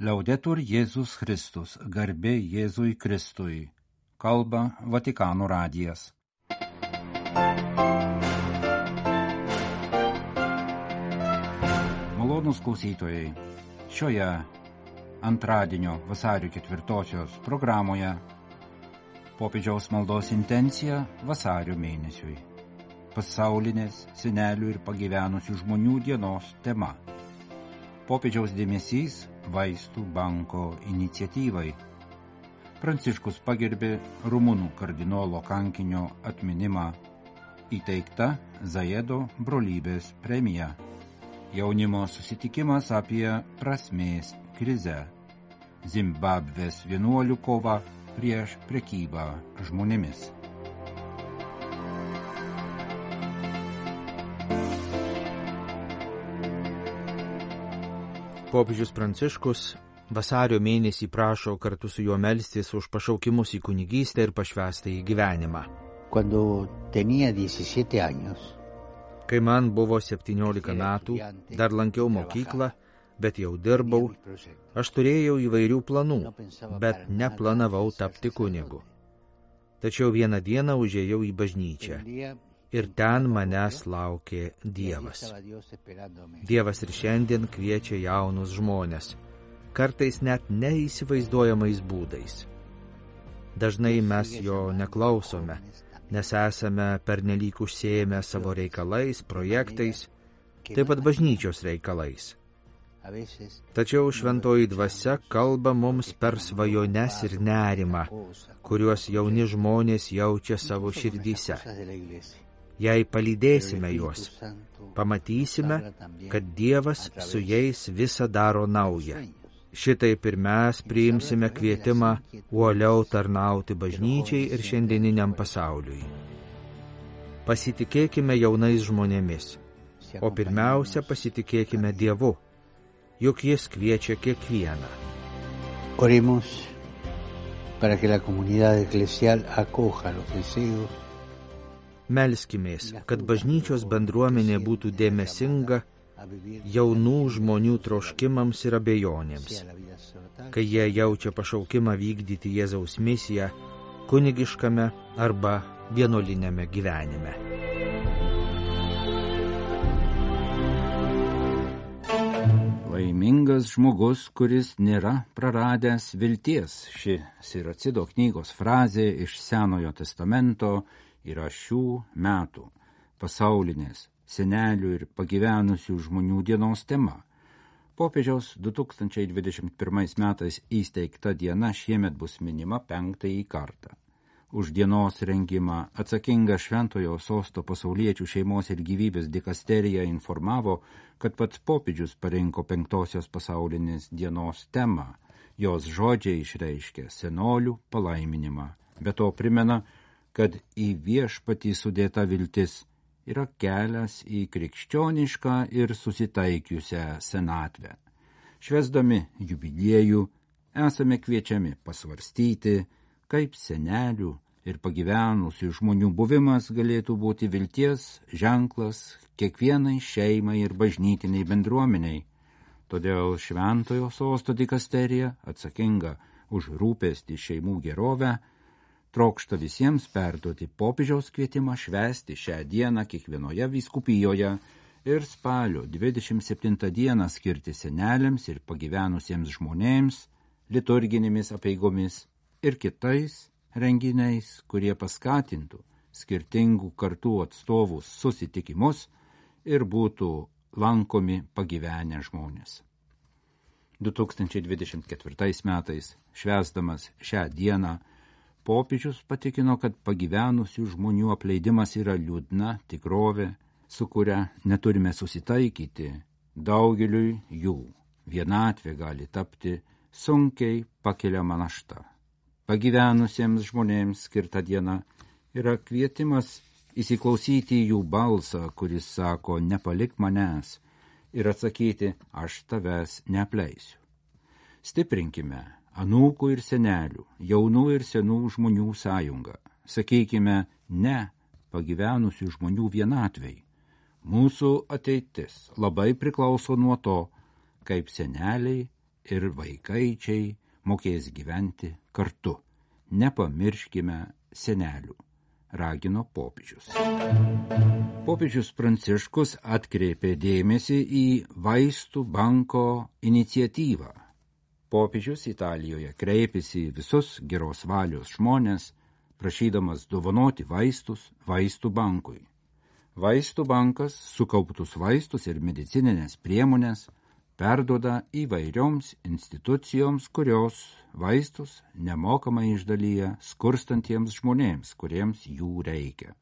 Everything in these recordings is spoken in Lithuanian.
Laudetur Jėzus Kristus, garbė Jėzui Kristui. Kalba Vatikano radijas. Malonūs klausytojai, šioje antradienio vasario 4-osios programoje popiežiaus maldos intencija vasario mėnesiui. Pasaulinės senelių ir pagyvenusių žmonių dienos tema. Popiežiaus dėmesys vaistų banko iniciatyvai. Pranciškus pagerbė rumunų kardinolo kankinio atminimą, įteikta Zajedo brolybės premija. Jaunimo susitikimas apie prasmės krizę. Zimbabvės vienuolių kova prieš prekybą žmonėmis. Popiežius Pranciškus vasario mėnesį prašo kartu su juo melstis už pašaukimus į kunigystę ir pašvęstąjį gyvenimą. Kai man buvo 17 metų, dar lankiau mokyklą, bet jau dirbau, aš turėjau įvairių planų, bet neplanavau tapti kunigu. Tačiau vieną dieną užėjau į bažnyčią. Ir ten manęs laukė Dievas. Dievas ir šiandien kviečia jaunus žmones, kartais net neįsivaizduojamais būdais. Dažnai mes jo neklausome, nes esame pernelyg užsiėmę savo reikalais, projektais, taip pat bažnyčios reikalais. Tačiau šventoji dvasia kalba mums per svajones ir nerimą, kuriuos jauni žmonės jaučia savo širdyse. Jei palydėsime juos, pamatysime, kad Dievas su jais visą daro naują. Šitaip ir mes priimsime kvietimą uoliau tarnauti bažnyčiai ir šiandieniniam pasauliui. Pasitikėkime jaunais žmonėmis, o pirmiausia pasitikėkime Dievu, juk Jis kviečia kiekvieną. Oremos para que la comunidad eclesial acoja los deseos. Melskimės, kad bažnyčios bendruomenė būtų dėmesinga jaunų žmonių troškimams ir abejonėms, kai jie jaučia pašaukimą vykdyti Jėzaus misiją kunigiškame arba vienuoliniame gyvenime. Laimingas žmogus, kuris nėra praradęs vilties. Ši Siracido knygos frazė iš Senojo testamento yra šių metų pasaulinės senelių ir pagyvenusių žmonių dienos tema. Popiežiaus 2021 metais įsteigta diena šiemet bus minima 5. kartą. Už dienos rengimą atsakinga Šventojo Sosto pasauliečių šeimos ir gyvybės dikasterija informavo, kad pats popiežius parinko 5-osios pasaulinės dienos temą. Jos žodžiai išreiškia senolių palaiminimą. Be to primena, kad į viešpatį sudėta viltis yra kelias į krikščionišką ir susitaikiusią senatvę. Švęsdami jubiliejų esame kviečiami pasvarstyti, kaip senelių ir pagyvenusių žmonių buvimas galėtų būti vilties ženklas kiekvienai šeimai ir bažnytiniai bendruomeniai. Todėl Šventojo Sosto dikasterija, atsakinga už rūpestį šeimų gerovę, trokšta visiems perduoti popiežiaus kvietimą švęsti šią dieną kiekvienoje vyskupijoje ir spalio 27 dieną skirti seneliams ir pagyvenusiems žmonėms, liturginėmis apeigomis ir kitais renginiais, kurie paskatintų skirtingų kartų atstovų susitikimus ir būtų lankomi pagyvenę žmonės. 2024 metais, švęsdamas šią dieną, popiežius patikino, kad pagyvenusių žmonių apleidimas yra liūdna tikrovė, su kuria neturime susitaikyti. Daugeliui jų vienatvė gali tapti sunkiai pakeliama našta. Pagyvenusiems žmonėms skirta diena yra kvietimas įsiklausyti jų balsą, kuris sako, nepalik manęs, ir atsakyti, aš tavęs neapleisiu. Stiprinkime anūkų ir senelių, jaunų ir senų žmonių sąjungą. Sakykime, ne pagyvenusių žmonių vienatvei. Mūsų ateitis labai priklauso nuo to, kaip seneliai ir vaikaičiai mokės gyventi kartu. Nepamirškime senelių, ragino popiežius. Popiežius Pranciškus atkreipė dėmesį į vaistų banko iniciatyvą. Popiežius Italijoje kreipėsi į visus geros valios žmonės, prašydamas dovanoti vaistus vaistų bankui. Vaistų bankas sukauptus vaistus ir medicininės priemonės perduoda įvairioms institucijoms, kurios vaistus nemokamai išdalyja skurstantiems žmonėms, kuriems jų reikia.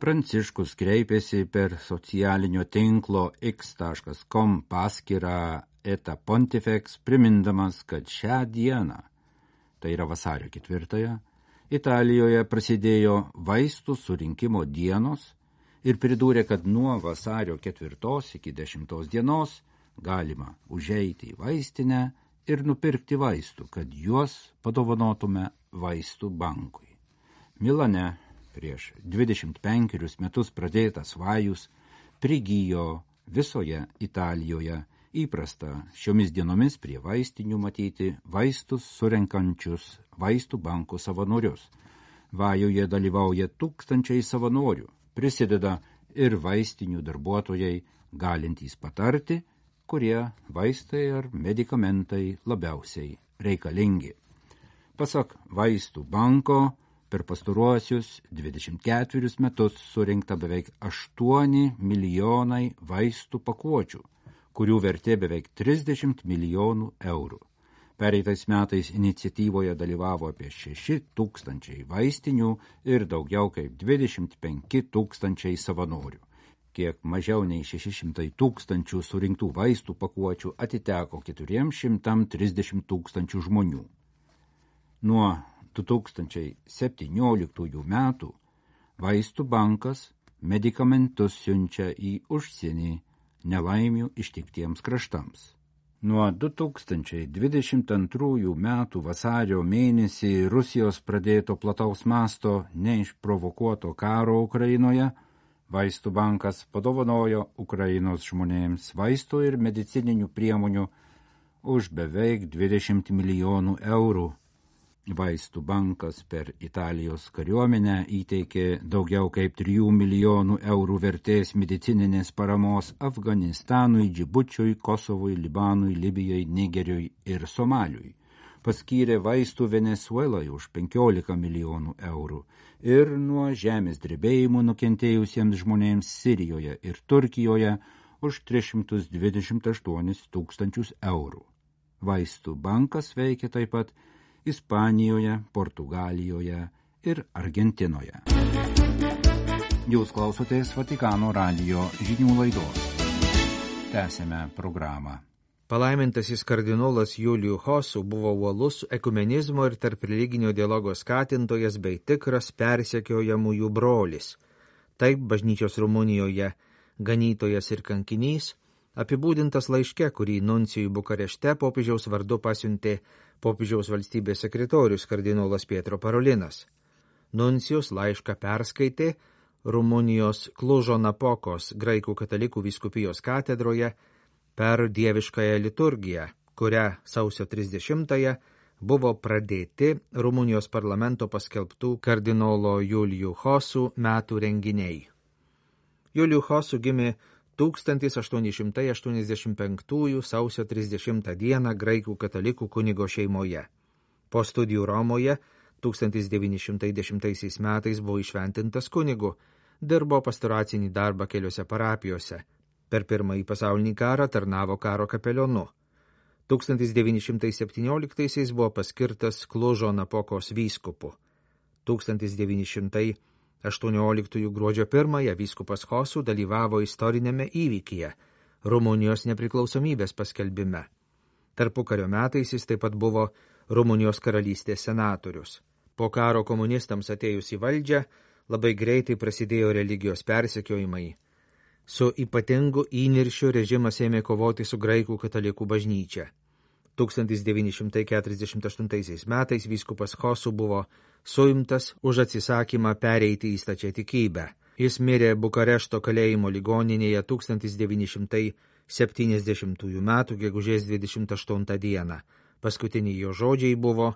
Pranciškus kreipėsi per socialinio tinklo x.com paskyrą Eta Pontifex, primindamas, kad šią dieną, tai yra vasario 4, Italijoje prasidėjo vaistų surinkimo dienos ir pridūrė, kad nuo vasario 4 iki 10 dienos galima užeiti į vaistinę ir nupirkti vaistų, kad juos padovanotume vaistų bankui. Milane prieš 25 metus pradėtas vajus prigijo visoje Italijoje. Įprasta šiomis dienomis prie vaistinių matyti vaistus surenkančius vaistų bankų savanorius. Vajuje dalyvauja tūkstančiai savanorių, prisideda ir vaistinių darbuotojai, galintys patarti, kurie vaistai ar medikamentai labiausiai reikalingi. Pasak vaistų banko, per pastaruosius 24 metus surinkta beveik 8 milijonai vaistų pakuočių, kurių vertė beveik 30 milijonų eurų. Pereitais metais iniciatyvoje dalyvavo apie 6 000 vaistinių ir daugiau kaip 25 000 savanorių. Kiek mažiau nei 600 000 surinktų vaistų pakuočių atiteko 430 000 žmonių. Nuo 2017 metų vaistų bankas medikamentus siunčia į užsienį nelaimių ištiktiems kraštams. Nuo 2022 metų vasario mėnesį Rusijos pradėto plataus masto neišprovokuoto karo Ukrainoje, vaistų bankas padovanojo Ukrainos žmonėms vaistų ir medicininių priemonių už beveik 20 milijonų eurų. Vaistų bankas per Italijos kariuomenę įteikė daugiau kaip 3 milijonų eurų vertės medicininės paramos Afganistanui, Džibučiui, Kosovui, Libanui, Libijai, Nigeriui ir Somaliui. Paskyrė vaistų Venezuelai už 15 milijonų eurų ir nuo žemės drebėjimų nukentėjusiems žmonėms Sirijoje ir Turkijoje už 328 000 eurų. Vaistų bankas veikia taip pat Ispanijoje, Portugalijoje ir Argentinoje. Jūs klausotės Vatikano radijo žinių laidos. Tęsėme programą. Palaimintasis kardinolas Juliu Hosu buvo uolus ekumenizmo ir tarp religinio dialogo skatintojas bei tikras persekiojamųjų brolis. Taip bažnyčios Rumunijoje ganytojas ir kankinys apibūdintas laiške, kurį nuncijui Bukarešte popiežiaus vardu pasiuntė popiežiaus valstybės sekretorius kardinolas Pietro Parolinas. Nuncijus laišką perskaitė Rumunijos Klužo Napokos graikų katalikų vyskupijos katedroje per dieviškąją liturgiją, kurią sausio 30-ąją buvo pradėti Rumunijos parlamento paskelbtų kardinolo Juliu Hosu metų renginiai. Juliu Hosu gimė 1885 sausio 30 dieną graikų katalikų kunigo šeimoje. Po studijų Romoje 1910 metais buvo išventintas kunigu, dirbo pastoracinį darbą keliose parapijose. Per Pirmąjį pasaulinį karą tarnavo karo kapelionu. 1917 buvo paskirtas Klužo Napokos vyskupu. 1918 gruodžio 1 vyskupas Hosu dalyvavo istorinėme įvykyje – Rumunijos nepriklausomybės paskelbime. Tarpukario metais jis taip pat buvo Rumunijos karalystės senatorius. Po karo komunistams atėjus į valdžią, labai greitai prasidėjo religijos persekiojimai. Su ypatingu įniršiu režimas ėmė kovoti su graikų katalikų bažnyčia. 1948 metais vyskupas Hosu buvo suimtas už atsisakymą pereiti į stačiatikybę. Jis mirė Bukarešto kalėjimo ligoninėje 70 metų gegužės 28 dieną. Paskutiniai jo žodžiai buvo: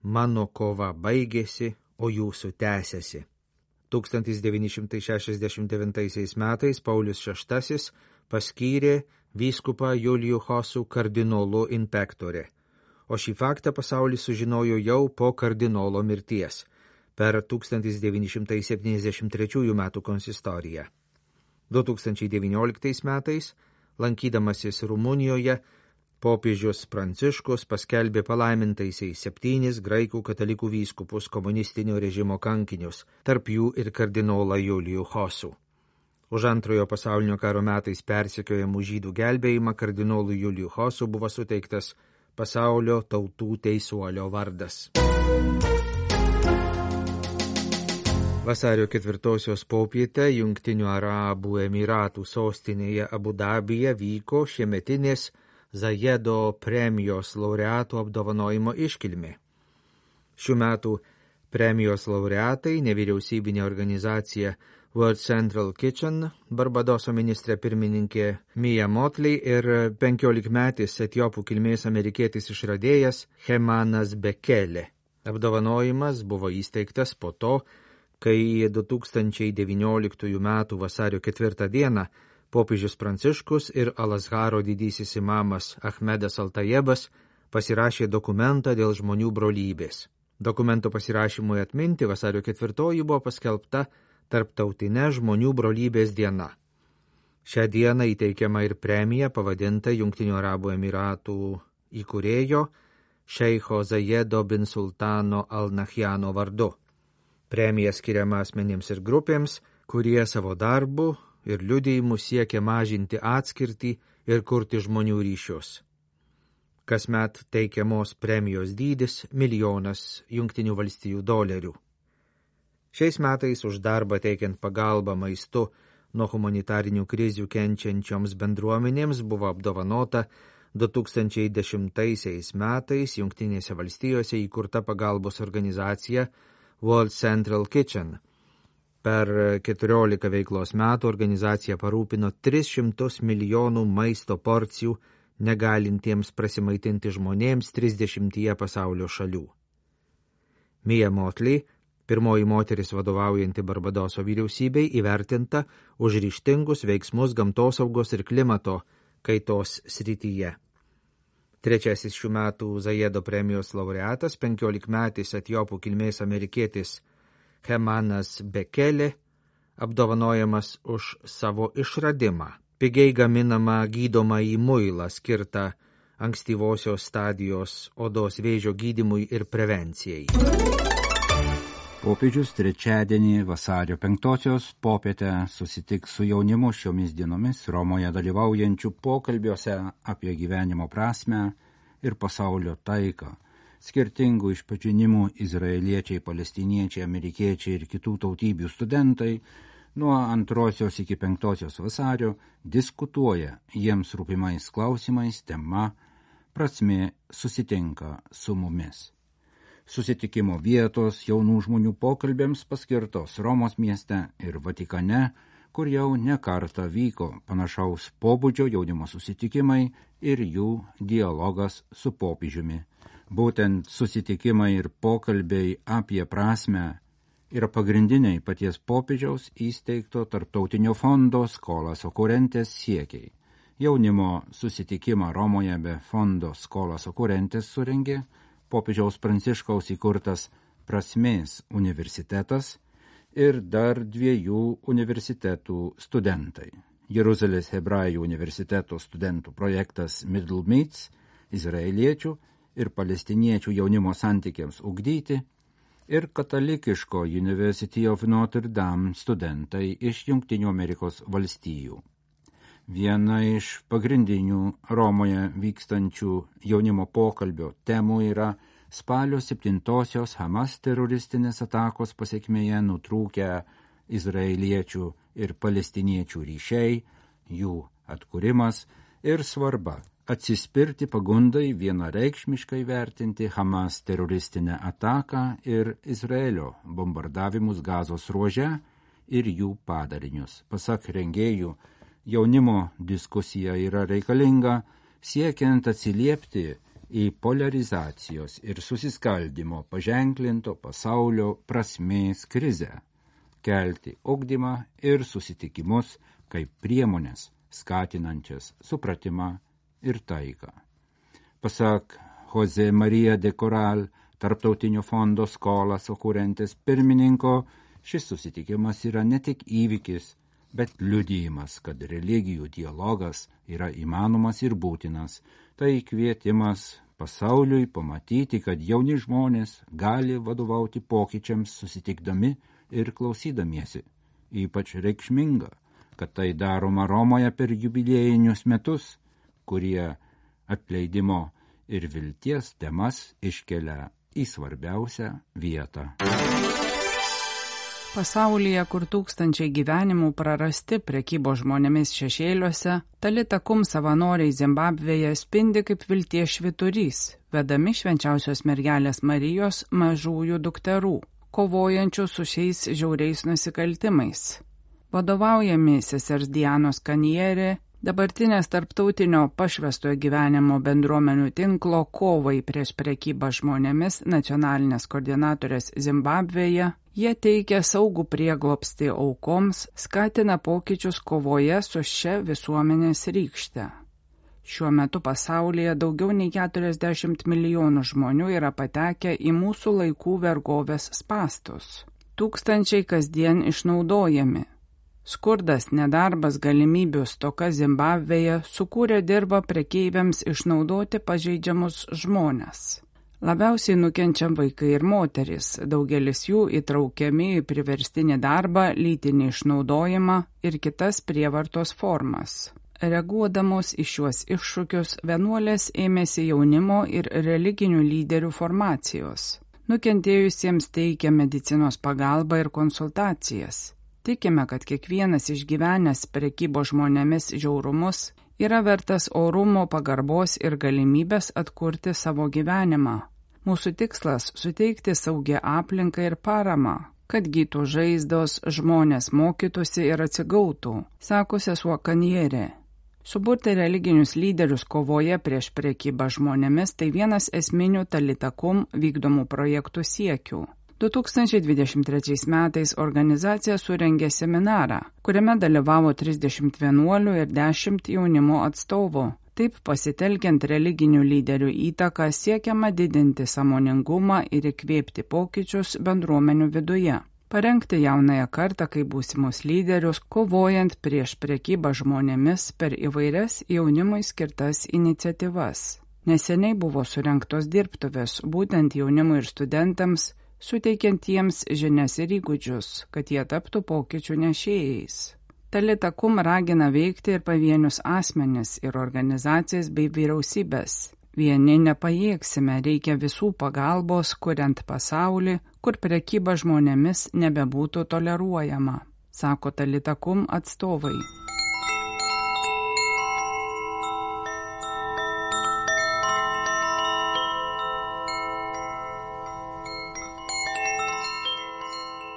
mano kova baigėsi, o jūsų tęsiasi. 1969 metais Paulius VI paskyrė vyskupą Julijų Hosų kardinolu in pectore, o šį faktą pasaulis sužinojo jau po kardinolo mirties per 1973 metų konsistoriją. 2019 metais, lankydamasis Rumunijoje, popiežius Pranciškus paskelbė palaimintaisiais 7 graikų katalikų vyskupus komunistinio režimo kankinius, tarp jų ir kardinolą Julijų Hosų. Už Antrojo pasaulinio karo metais persekiojamų žydų gelbėjimą kardinolui Julijų Hosų buvo suteiktas pasaulio tautų teisuolio vardas. Vasario 4 popietę Jungtinių Arabų Emiratų sostinėje Abu Dabyje vyko šiemetinės Zajedo premijos laureatų apdovanojimo iškilmė. Šių metų premijos laureatai nevyriausybinė organizacija World Central Kitchen, Barbadoso ministrė pirmininkė Mia Motley ir 15-metis etiopų kilmės amerikietis išradėjas Hemanas Bekele. Apdovanojimas buvo įsteigtas po to, kai 2019 m. vasario 4 dieną popiežius Pranciškus ir Al-Azharo didysis imamas Ahmedas Altajebas pasirašė dokumentą dėl žmonių brolybės. Dokumento pasirašymui atminti vasario 4 buvo paskelbta Tarptautinė žmonių brolybės diena. Šią dieną įteikiama ir premija pavadinta Jungtinių Arabų Emiratų įkūrėjo šeicho Zajedo bin Sultano Al-Nahjano vardu. Premija skiriama asmenims ir grupėms, kurie savo darbu ir liudijimu siekia mažinti atskirtį ir kurti žmonių ryšius. Kasmet teikiamos premijos dydis $1 milijonas Jungtinių valstijų dolerių. Šiais metais už darbą teikiant pagalbą maistu nuo humanitarinių krizių kenčiančioms bendruomenėms buvo apdovanota 2010 metais Jungtinėse valstijose įkurta pagalbos organizacija World Central Kitchen. Per 14 veiklos metų organizacija parūpino 300 milijonų maisto porcijų negalintiems prasimaitinti žmonėms 30 pasaulio šalių. Mia Motley, pirmoji moteris vadovaujanti Barbadoso vyriausybei, įvertinta už ryžtingus veiksmus gamtosaugos ir klimato kaitos srityje. Trečiasis šių metų Zajedo premijos laureatas, 15-metis etiopų kilmės amerikietis Hemanas Bekele, apdovanojamas už savo išradimą, pigiai gaminamą gydomąjį muilą skirtą ankstyvosios stadijos odos vėžio gydymui ir prevencijai. Popiežius trečiadienį vasario 5 popietę susitiks su jaunimu šiomis dienomis Romoje dalyvaujančių pokalbiuose apie gyvenimo prasmę ir pasaulio taiką. Skirtingų išpažinimų izraeliečiai, palestiniečiai, amerikiečiai ir kitų tautybių studentai nuo 2 iki 5 vasario diskutuoja jiems rūpimais klausimais, tema prasmė susitinka su mumis. Susitikimo vietos jaunų žmonių pokalbėms paskirtos Romos mieste ir Vatikane, kur jau ne kartą vyko panašaus pobūdžio jaunimo susitikimai ir jų dialogas su popiežiumi. Būtent susitikimai ir pokalbiai apie prasmę yra pagrindiniai paties popiežiaus įsteigto tarptautinio fondo Scholas Occurrentes siekiai. Jaunimo susitikimą Romoje be fondo Scholas Occurrentes surengė popiežiaus Pranciškaus įkurtas Prasmės universitetas ir dar 2 universitetų studentai. Jeruzalės Hebrajų universiteto studentų projektas Middle Meets, izraeliečių ir palestiniečių jaunimo santykiams ugdyti, ir katalikiško University of Notre Dame studentai iš Jungtinių Amerikos valstijų. Viena iš pagrindinių Romoje vykstančių jaunimo pokalbio temų yra spalio 7-osios Hamas teroristinės atakos pasekmėje nutrūkę izraeliečių ir palestiniečių ryšiai, jų atkūrimas ir svarba atsispirti pagundai vienareikšmiškai vertinti Hamas teroristinę ataką ir Izraelio bombardavimus Gazos ruože ir jų padarinius. Pasak rengėjų, Jaunimo diskusija yra reikalinga siekiant atsiliepti į polarizacijos ir susiskaldimo paženklinto pasaulio prasmės krizę, kelti ugdymą ir susitikimus kaip priemonės skatinančias supratimą ir taiką. Pasak Jose Maria de Coral, Tarptautinio fondo Skolas Okurentes pirmininko, šis susitikimas yra ne tik įvykis, bet liudijimas, kad religijų dialogas yra įmanomas ir būtinas. Tai kvietimas pasauliui pamatyti, kad jauni žmonės gali vadovauti pokyčiams susitikdami ir klausydamiesi. Ypač reikšminga, kad tai daroma Romoje per jubiliejinius metus, kurie atleidimo ir vilties temas iškelia į svarbiausią vietą. Pasaulyje, kur tūkstančiai gyvenimų prarasti prekybos žmonėmis šešėliuose, Talita Kum savanoriai Zimbabvėje spindi kaip vilties švyturys, vedami švenčiausios mergelės Marijos mažųjų dukterų, kovojančių su šiais žiauriais nusikaltimais. Vadovaujami sesers Dianos Kanierė, dabartinės tarptautinio pašvęstojo gyvenimo bendruomenių tinklo kovai prieš prekybą žmonėmis nacionalinės koordinatorės Zimbabvėje, jie teikia saugų prieglobstį aukoms, skatina pokyčius kovoje su šia visuomenės rykšte. Šiuo metu pasaulyje daugiau nei 40 milijonų žmonių yra patekę į mūsų laikų vergovės spąstus. Tūkstančiai kasdien išnaudojami. Skurdas, nedarbas, galimybių stoka Zimbabvėje sukūrė dirvą prekeiviams išnaudoti pažeidžiamus žmones. Labiausiai nukenčia vaikai ir moterys, daugelis jų įtraukiami į priverstinį darbą, lytinį išnaudojimą ir kitas prievartos formas. Reaguodamos į šiuos iššūkius, vienuolės ėmėsi jaunimo ir religinių lyderių formacijos. Nukentėjusiems teikia medicinos pagalbą ir konsultacijas. Tikime, kad kiekvienas išgyvenęs prekybos žmonėmis žiaurumus yra vertas orumo, pagarbos ir galimybės atkurti savo gyvenimą. Mūsų tikslas – suteikti saugią aplinką ir paramą, kad gytų žaizdos, žmonės mokytųsi ir atsigautų, sako sesuo Kanierė. Suburti religinius lyderius kovoje prieš prekybą žmonėmis tai vienas esminių Talita Kum vykdomų projektų siekių. 2023 metais organizacija surengė seminarą, kuriame dalyvavo 30 vienuolių ir 10 jaunimo atstovų. Taip pasitelkiant religinių lyderių įtaką siekiama didinti sąmoningumą ir įkvėpti pokyčius bendruomenių viduje. Parengti jaunąją kartą kaip būsimus lyderius, kovojant prieš prekybą žmonėmis per įvairias jaunimui skirtas iniciatyvas. Neseniai buvo surengtos dirbtuvės būtent jaunimui ir studentams, suteikiant jiems žinias ir įgūdžius, kad jie taptų pokyčių nešėjais. Talita Kum ragina veikti ir pavienius asmenis ir organizacijas bei vyriausybės. Vieni nepajėgsime, reikia visų pagalbos, kuriant pasaulį, kur prekyba žmonėmis nebebūtų toleruojama, sako Talita Kum atstovai.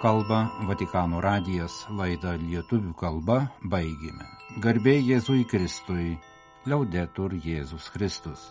Kalba Vatikano radijas, laidą lietuvių kalba baigėme. Garbė Jėzui Kristui, Liaudetur Jėzus Kristus.